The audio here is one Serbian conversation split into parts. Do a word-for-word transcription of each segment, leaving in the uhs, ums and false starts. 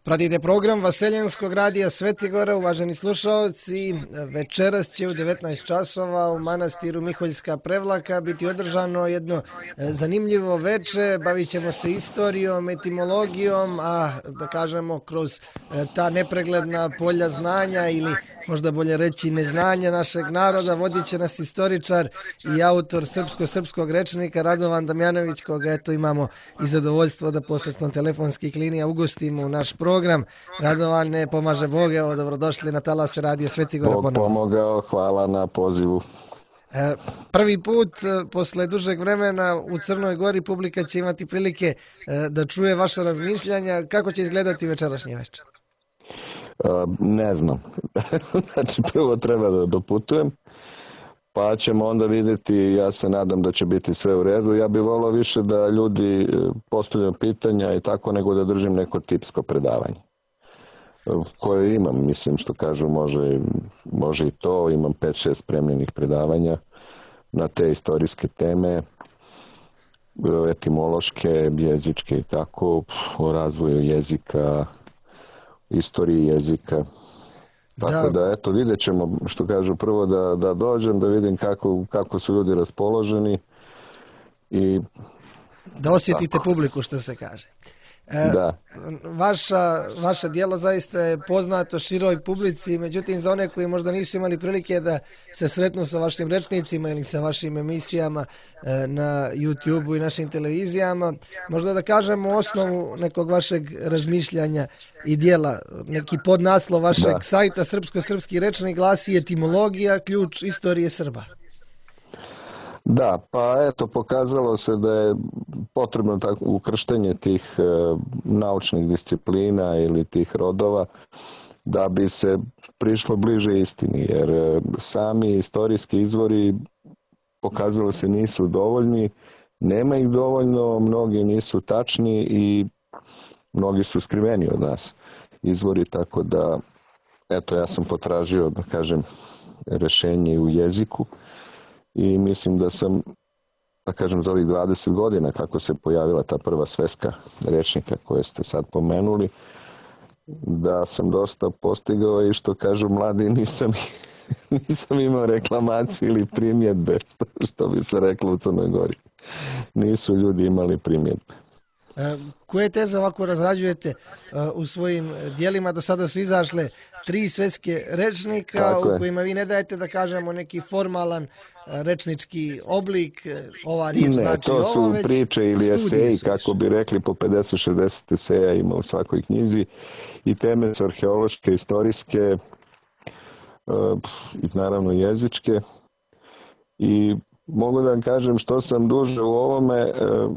Pratite program Vaseljenskog radija Svetigora, uvaženi slušalci. Večeras će u devetnaest časova u manastiru Miholjska Prevlaka biti održano jedno zanimljivo veče. Bavit ćemo se istorijom, etimologijom, a da kažemo kroz ta nepregledna polja znanja ili možda bolje reći neznanja našeg naroda, vodit će nas istoričar i autor srpsko-srpskog rečnika Radovan Damjanović, koga eto imamo i zadovoljstvo da posredstvom telefonskih linija ugostimo u naš program. Radovane, pomaže Bog, evo dobrodošli na talas Radio Svetigora. Bog pomogao, hvala na pozivu. E, prvi put posle dužeg vremena u Crnoj Gori publika će imati prilike e, da čuje vaše razmišljanja. Kako će izgledati večerašnji večer? Uh, ne znam. Znači, prvo treba da doputujem, pa ćemo onda vidjeti. Ja se nadam da će biti sve u redu. Ja bih volio više da ljudi postavljaju pitanja i tako, nego da držim neko tipsko predavanje koje imam, mislim, što kažu, može, može i to. Imam pet šest spremljenih predavanja na te istorijske teme, etimološke, jezičke i tako, o razvoju jezika, istoriji jezika. Tako da, da eto, vidjet ćemo, što kažu, prvo da, da dođem, da vidim kako, kako su ljudi raspoloženi i da osjetite tako publiku, što se kaže. E, da. Vaša, vaše djelo zaista je poznato široj publici, međutim za one koji možda nisu imali prilike da se sretnu sa vašim rečnicima ili sa vašim emisijama e, na YouTube-u i našim televizijama, možda da kažemo osnovu nekog vašeg razmišljanja i djela, neki podnaslov vašeg da. sajta Srpsko-srpski rečnik glasi etimologija, ključ istorije Srba. Da, pa eto, pokazalo se da je potrebno tako ukrštenje tih e, naučnih disciplina ili tih rodova da bi se prišlo bliže istini, jer e, sami istorijski izvori pokazalo se nisu dovoljni, nema ih dovoljno, mnogi nisu tačni i mnogi su skriveni od nas izvori, tako da eto, ja sam potražio, da kažem, rešenje u jeziku. I mislim da sam, da kažem, za ovih dvadeset godina kako se pojavila ta prva sveska rečnika koje ste sad pomenuli, da sam dosta postigao i što kažu mladi, nisam, nisam imao reklamacije ili primjedbe, što bi se reklo u Crnoj Gori. Nisu ljudi imali primjedbe. E, koje teze ovako razrađujete uh, u svojim dijelima? Do sada su izašle tri sveske rečnika tako u kojima vi ne dajete, da kažemo, neki formalan uh, rečnički oblik, ova riječ ne, znači to ovo, su već priče ili eseji, kako bi rekli, po pedeset šezdeset eseja ima u svakoj knjizi i teme su arheološke, istorijske uh, i naravno jezičke. I mogu da vam kažem, što sam duže u ovome, uh,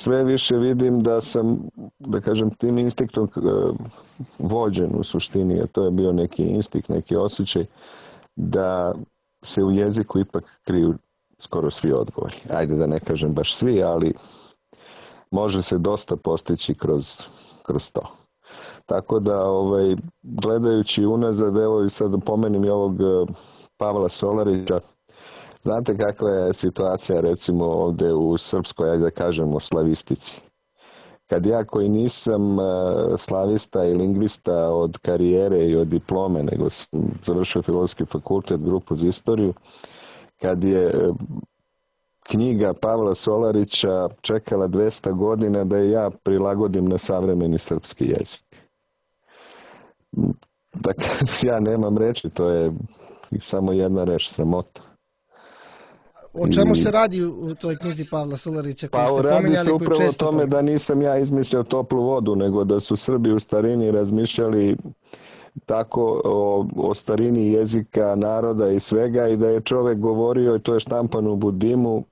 sve više vidim da sam, da kažem, tim instinktom vođen u suštini, a to je bio neki instinkt, neki osjećaj da se u jeziku ipak kriju skoro svi odgovori. Ajde da ne kažem baš svi, ali može se dosta postići kroz, kroz to. Tako da, ovaj, gledajući unazad, evo i sad da pomenim i ovog Pavla Solarića. Znate kakva je situacija, recimo, ovdje u srpskoj, ajde da kažemo, slavistici. Kad ja, koji nisam slavista i lingvista od karijere i od diplome, nego sam završio Filozofski fakultet, grupu za istoriju, kad je knjiga Pavla Solarića čekala dvesta godina da je ja prilagodim na savremeni srpski jezik. Dakle, ja nemam reči, to je samo jedna reč, sramota. O čemu se radi u toj knjizi Pavla Solarića? Pa radi se upravo o tome da nisam ja izmislio toplu vodu, nego da su Srbi u starini razmišljali tako o, o starini jezika, naroda i svega, i da je čovjek govorio, i to je štampano u Budimu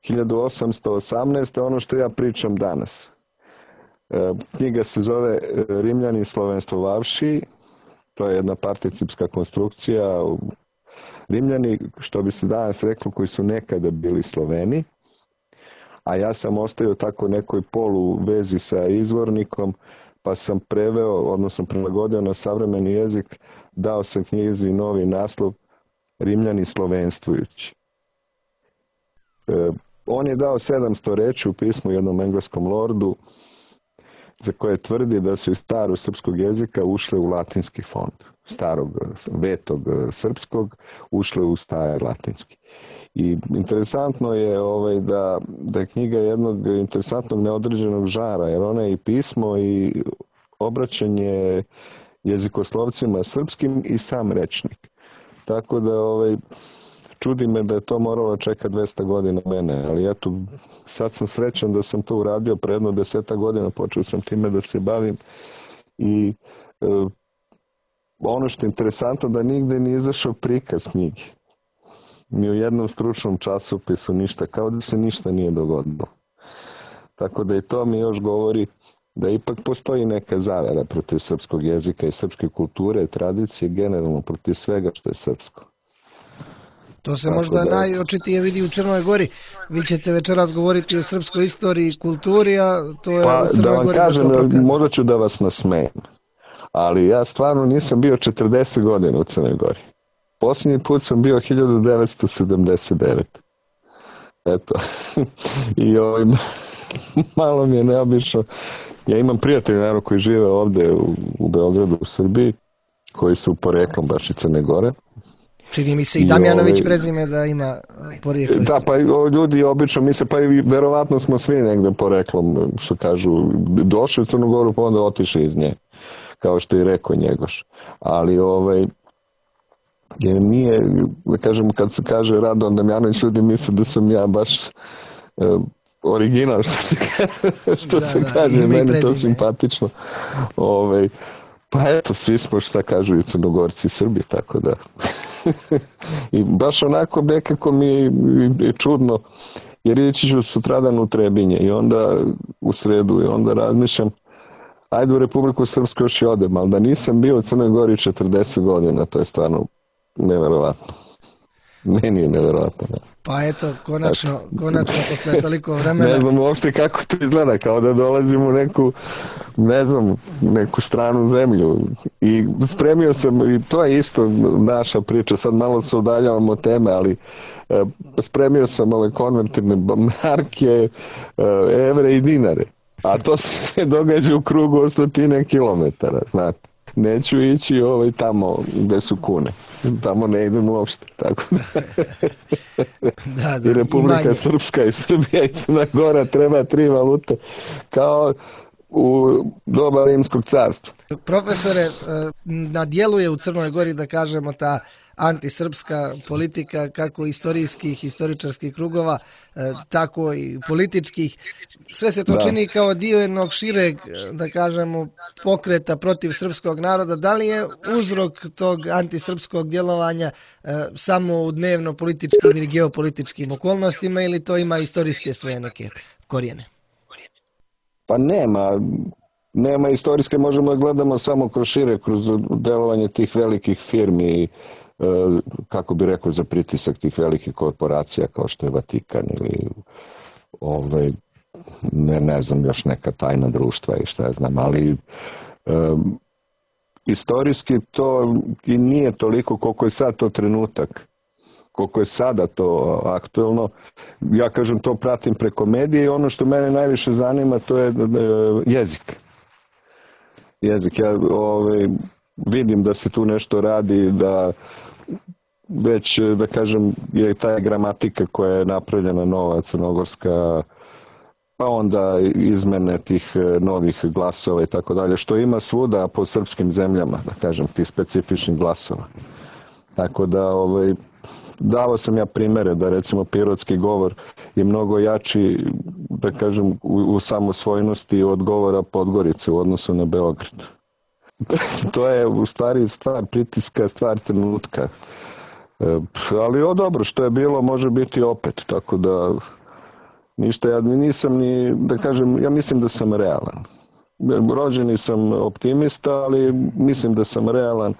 hiljadu osamsto osamnaeste. ono što ja pričam danas. E, knjiga se zove Rimljani slovenstvovavši, to je jedna participska konstrukcija. Rimljani, što bi se danas reklo, koji su nekada bili Sloveni, a ja sam ostavio tako nekoj polu vezi sa izvornikom, pa sam preveo, odnosno prilagodio na savremeni jezik, dao sam knjizi novi naslov Rimljani slovenstvujući. E, on je dao sedamsto reči u pismu jednom engleskom lordu. za koje tvrdi da su iz starog srpskog jezika ušle u latinski fond. Starog, vetog srpskog ušle u stari latinski. I interesantno je ovaj, da, da je knjiga jednog interesantnog neodređenog žara, jer ona je i pismo i obraćanje jezikoslovcima srpskim i sam rečnik. Tako da ovaj, čudi me da je to moralo čekati dvesta godina mene, ali eto, sad sam srećan da sam to uradio pre jedno deseta godina, počeo sam time da se bavim i e, ono što je interesantno da nigde nije izašao prikaz knjige. Ni u jednom stručnom časopisu ništa, kao da se ništa nije dogodilo. Tako da i to mi još govori da ipak postoji neka zavera protiv srpskog jezika i srpske kulture i tradicije, generalno protiv svega što je srpsko. To se možda da... najočitije vidi u Crnoj Gori. Vi ćete večeras govoriti o srpskoj istoriji i kulturi, a to je pa, u Crnoj da vam Gori... kažem, možda ću da vas nasmejem, ali ja stvarno nisam bio četrdeset godina u Crnoj Gori. Posljednji put sam bio hiljadu devetsto sedamdeset devete. Eto. I ovim, malo mi je neobično. Ja imam prijatelje, naravno, koji žive ovde u, u Beogradu, u Srbiji, koji su poreklom baš iz Crne Gore. Čini mi se i Damjanović ovaj, prezime da ima porijeklo. Da, pa ljudi obično misle, pa i verovatno smo svi negde poreklom, što kažu, došli u Crnu Goru, pa onda otišli iz nje, kao što je rekao Njegoš. Ali, ovaj, jer nije, da kažem, kad se kaže Radovan Damjanović, ljudi misle da sam ja baš e, original, što se, što da, se da, kaže, meni to simpatično. Ovaj, pa eto, svi smo, šta kažu, i Crnogorci i Srbi, tako da. I baš onako nekako mi je čudno, jer ići ću sutradan u Trebinje i onda u sredu i onda razmišljam, ajde u Republiku Srpsku još i odem, ali da nisam bio u Crnoj Gori četrdeset godina, to je stvarno neverovatno. Meni je neverovatno. Ne. Pa eto, konačno, konačno posle toliko vremena. Ne znam uopšte kako to izgleda, kao da dolazim u neku, ne znam, neku stranu zemlju. I spremio sam, i to je isto naša priča, sad malo se udaljavamo od teme, ali e, spremio sam ove konvertirne marke, e, evre i dinare. A to se događa u krugu od stotine kilometara, znate. Neću ići ovaj tamo gde su kune. Tamo ne idem uopšte, tako da. da, da I Republika Srpska i Srbija i Crna Gora treba tri valute, kao u doba Rimskog carstva. Profesore, na djelu je u Crnoj Gori, da kažemo, ta antisrpska politika, kako istorijskih, historičarskih krugova, tako i političkih. Sve se to da. čini kao dio jednog šireg, da kažemo, pokreta protiv srpskog naroda. Da li je uzrok tog antisrpskog djelovanja samo u dnevno političkim ili geopolitičkim okolnostima, ili to ima istorijske svoje neke korijene? Pa nema. Nema istorijske, možemo da gledamo samo kroz šire, kroz delovanje tih velikih firmi, kako bi rekao, za pritisak tih velikih korporacija kao što je Vatikan ili ovaj, ne, ne znam, još neka tajna društva i šta ja znam, ali um, istorijski to i nije toliko koliko je sad to trenutak, koliko je sada to aktuelno. Ja kažem, to pratim preko medije i ono što mene najviše zanima to je jezik. Jezik, ja ovaj, vidim da se tu nešto radi, da već, da kažem, je ta gramatika koja je napravljena nova crnogorska, pa onda izmene tih novih glasova i tako dalje, što ima svuda po srpskim zemljama, da kažem, tih specifičnih glasova. Tako da, ovaj, dao sam ja primere da recimo pirotski govor je mnogo jači, da kažem, u, u samosvojnosti od govora Podgorice u odnosu na Beograd. To je u stvari stvar pritiska, stvar trenutka. E, ali o dobro, što je bilo može biti opet, tako da ništa, ja nisam ni, da kažem, ja mislim da sam realan. Rođeni sam optimista, ali mislim da sam realan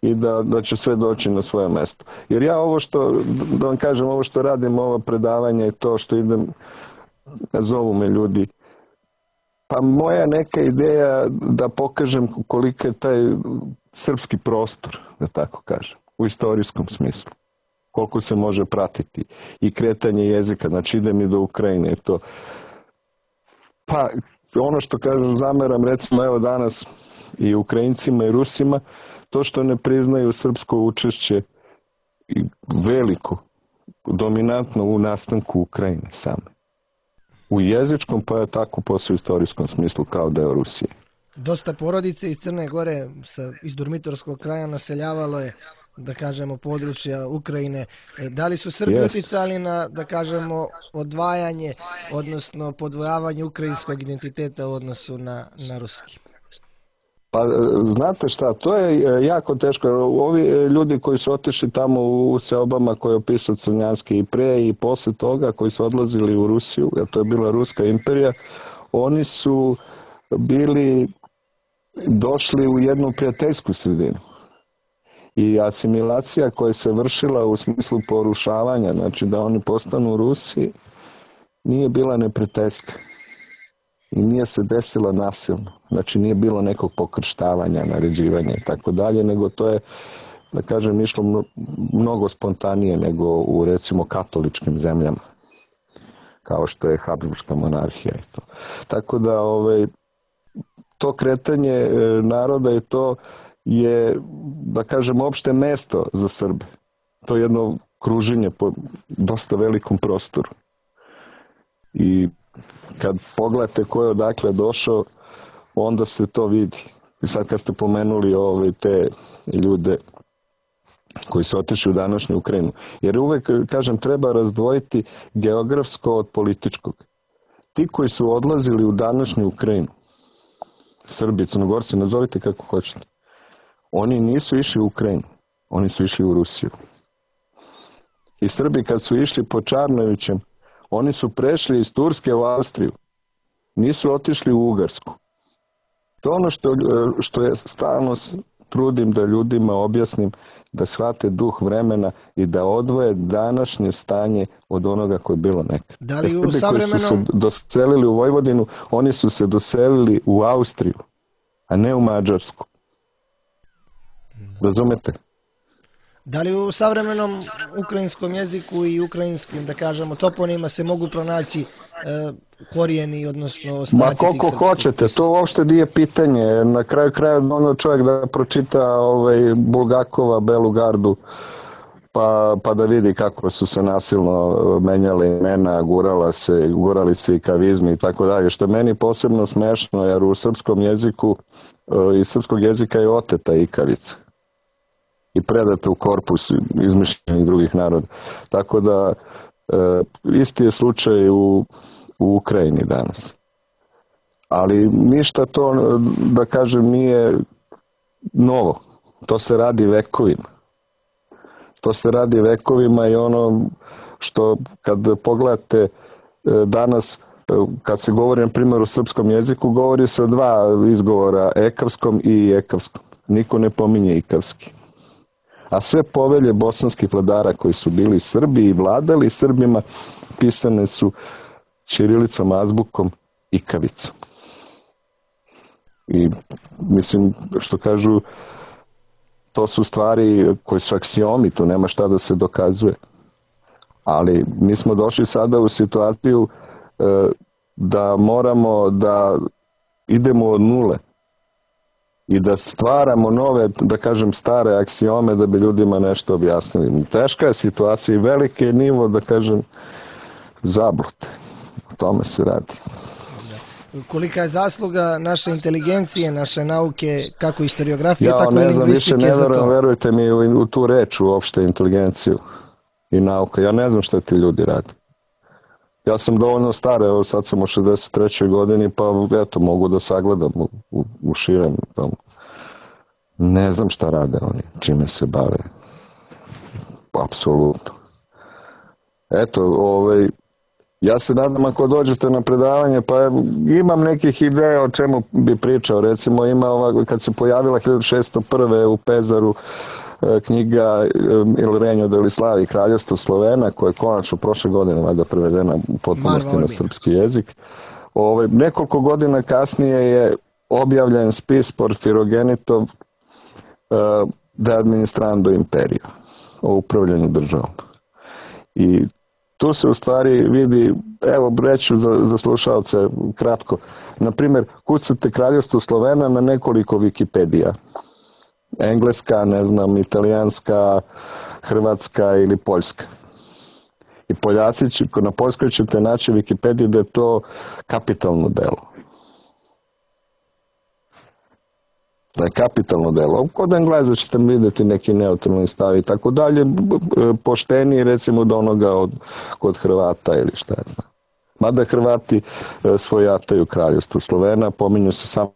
i da, da će sve doći na svoje mesto. Jer ja ovo što, da vam kažem, ovo što radim, ovo predavanje i to što idem, zovu me ljudi, pa moja neka ideja da pokažem koliko je taj srpski prostor, da tako kažem, u istorijskom smislu. Koliko se može pratiti i kretanje jezika, znači idem i do Ukrajine. To. Pa ono što kažem zameram recimo evo danas i Ukrajincima i Rusima, to što ne priznaju srpsko učešće i veliko, dominantno u nastanku Ukrajine same. U jezičkom pa je tako posle istorijskom smislu kao deo Rusije. Dosta porodice iz Crne Gore sa, iz Durmitorskog kraja naseljavalo je, da kažemo, područja Ukrajine. Da li su Srbi Yes. uticali na, da kažemo, odvajanje, odnosno podvojavanje ukrajinskog identiteta u odnosu na, na ruski? Pa znate šta, to je jako teško. Ovi ljudi koji su otišli tamo u seobama koje je opisao Crnjanski i pre i posle toga, koji su odlazili u Rusiju, jer to je bila Ruska imperija, oni su bili došli u jednu prijateljsku sredinu. I asimilacija koja se vršila u smislu porušavanja, znači da oni postanu Rusi, nije bila neprijateljska. I nije se desila nasilno. Znači nije bilo nekog pokrštavanja, naređivanja i tako dalje, nego to je, da kažem, išlo mnogo spontanije nego u recimo katoličkim zemljama. Kao što je Habsburška monarhija i to. Tako da ovaj, to kretanje naroda i to je, da kažem, opšte mesto za Srbe. To je jedno kruženje po dosta velikom prostoru. I kad pogledate ko je odakle došao, onda se to vidi. I sad kad ste pomenuli ove te ljude koji su otišli u današnju Ukrajinu. Jer uvek, kažem, treba razdvojiti geografsko od političkog. Ti koji su odlazili u današnju Ukrajinu, Srbi, Crnogorci, nazovite kako hoćete, oni nisu išli u Ukrajinu, oni su išli u Rusiju. I Srbi kad su išli po Čarnovićem, oni su prešli iz Turske u Austriju. Nisu otišli u Ugarsku. To je ono što, što je stalno trudim da ljudima objasnim, da shvate duh vremena i da odvoje današnje stanje od onoga koje je bilo nekad. Da li u Srbi savremenom... koji su se doselili u Vojvodinu, oni su se doselili u Austriju, a ne u Mađarsku. Razumete? Da li u savremenom ukrajinskom jeziku i ukrajinskim, da kažemo, toponima se mogu pronaći e, korijeni, odnosno... Ma koliko hoćete, to uopšte nije pitanje. Na kraju kraja ono čovjek da pročita ovaj, Bulgakova Belu gardu, pa, pa da vidi kako su se nasilno menjale imena, gurala se, gurali se i kavizmi i tako dalje. Što je meni posebno smešno, jer u srpskom jeziku, iz srpskog jezika je oteta ikavica i predata u korpus izmišljenih drugih naroda. Tako da e, isti je slučaj u, u Ukrajini danas. Ali ništa to, da kažem, nije novo. To se radi vekovima. To se radi vekovima i ono što kad pogledate e, danas, e, kad se govori na primjer o srpskom jeziku, govori se o dva izgovora, ekavskom i ekavskom. Niko ne pominje ikavski. A sve povelje bosanskih vladara koji su bili Srbi i vladali Srbima pisane su ćirilicom, azbukom, ikavicom. I mislim, što kažu, to su stvari koje su aksiomi, tu nema šta da se dokazuje. Ali mi smo došli sada u situaciju e, da moramo da idemo od nule i da stvaramo nove, da kažem, stare aksiome da bi ljudima nešto objasnili. Teška je situacija i veliki je nivo, da kažem, zablute. O tome se radi. Kolika je zasluga naše inteligencije, naše nauke, kako historiografije, ja, tako i ne znam, lingvistike. više ne verujem, verujte mi u, u tu reč, uopšte inteligenciju i nauka. Ja ne znam šta ti ljudi rade. Ja sam dovoljno star, evo sad sam u šezdeset trećoj godini, pa eto, mogu da sagledam u, u, u širem tomu. Ne znam šta rade oni, čime se bave. Apsolutno. Eto, ovaj, ja se nadam ako dođete na predavanje, pa imam nekih ideja o čemu bi pričao. Recimo ima ova, kad se pojavila hiljadu šeststo prve u Pezaru knjiga Il Regno degli Slavi, Kraljevstvo Slovena, koja je konačno prošle godine valjda prevedena u potpunosti na srpski jezik. Ove, nekoliko godina kasnije je objavljen spis Porfirogenitov uh, De Administrando Imperio, o upravljanju državom. I tu se u stvari vidi, evo reću za, za slušalce kratko, na primjer, kucate Kraljevstvo Slovena na nekoliko Wikipedija. Engleska, ne znam, italijanska, hrvatska ili poljska. I Poljaci će, na poljskoj ćete naći Wikipediju da je to kapitalno delo. Da je kapitalno delo. Kod Engleza ćete vidjeti neki neutralni stav i tako dalje, pošteniji recimo od onoga od, kod Hrvata ili šta je znam. Mada Hrvati svojataju Kraljevstvo Slovena, pominju se samo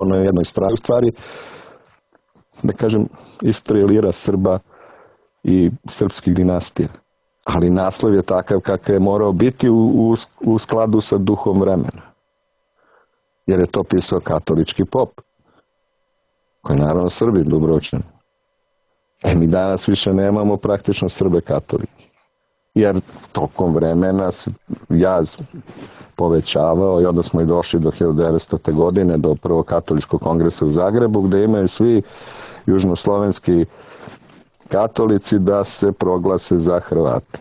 na jednoj strani stvari, da kažem, istorijalira Srba i srpskih dinastija. Ali naslov je takav kakav je morao biti u, u, u skladu sa duhom vremena. Jer je to pisao katolički pop, koji je naravno Srbi Dubrovčani. E mi danas više nemamo praktično Srbe katolike. Jer tokom vremena se jaz povećavao i onda smo i došli do hiljadu devetstote. godine, do prvog katoličkog kongresa u Zagrebu, gde imaju svi južnoslovenski katolici da se proglase za Hrvate.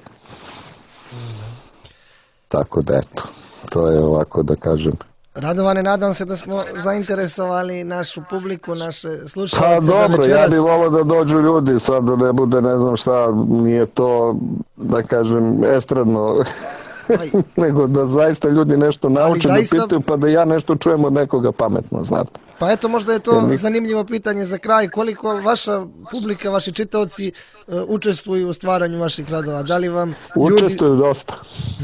Tako da eto, to je ovako da kažem. Radovane, nadam se da smo zainteresovali našu publiku, naše slušalce. Pa dobro, ja bih volio da dođu ljudi, sad da ne bude ne znam šta, nije to, da kažem, estradno, nego da zaista ljudi nešto nauče, zaista... da pitaju, pa da ja nešto čujem od nekoga pametno, znate. Pa eto, možda je to mi... zanimljivo pitanje za kraj, koliko vaša publika, vaši čitaoci uh, učestvuju u stvaranju vaših radova, da li vam ljudi... Učestvuju dosta,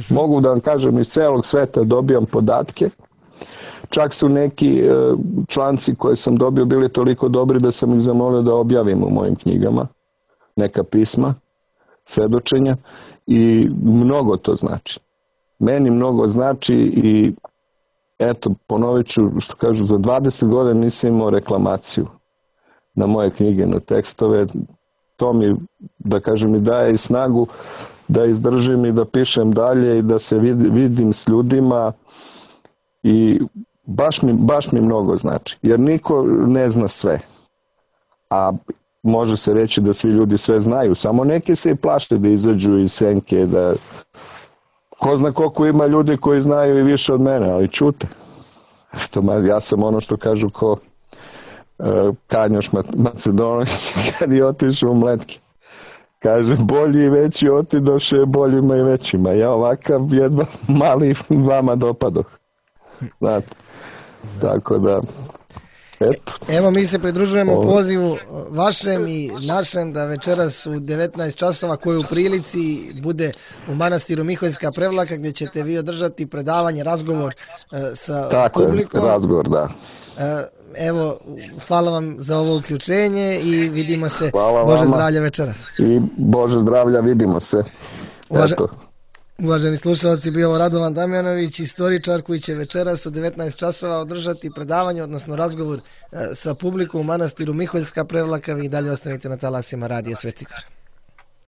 mogu da vam kažem, iz celog sveta dobijam podatke. Čak su neki članci koje sam dobio bili toliko dobri da sam ih zamolio da objavim u mojim knjigama. Neka pisma, svedočenja i mnogo to znači. Meni mnogo znači i eto, ponovit ću što kažu, za dvadeset godina nisam imao reklamaciju na moje knjige, na tekstove. To mi, da kažem, i daje i snagu da izdržim i da pišem dalje i da se vidim s ljudima i Baš mi, baš mi mnogo znači, jer niko ne zna sve, a može se reći da svi ljudi sve znaju, samo neki se i plašte da izađu iz senke, da ko zna koliko ima ljudi koji znaju i više od mene, ali čute. Eto, ja sam ono što kažu ko uh, Kanjoš Macedonović kad je otišao u Mletke. Kaže, bolji i veći otidoše boljima i većima, ja ovakav jedva mali vama dopadoh. Znate. Tako da, eto. Evo, mi se pridružujemo o... pozivu vašem i našem da večeras u devetnaest časova, koji u prilici bude u manastiru Miholjska Prevlaka, gdje ćete vi održati predavanje, razgovor e, sa Tako publikom. Je, razgovor, da. E, evo, hvala vam za ovo uključenje i vidimo se. Hvala Bože vama. zdravlja večeras. I Bože zdravlja, vidimo se. Uvaže... Eto. Uvaženi slušalci, bio ovo Radovan Damjanović, istoričar koji će večeras u devetnaest časova održati predavanje, odnosno razgovor sa publikom u manastiru Miholjska Prevlaka. Vi dalje ostanite na talasima Radija Sveti Gor.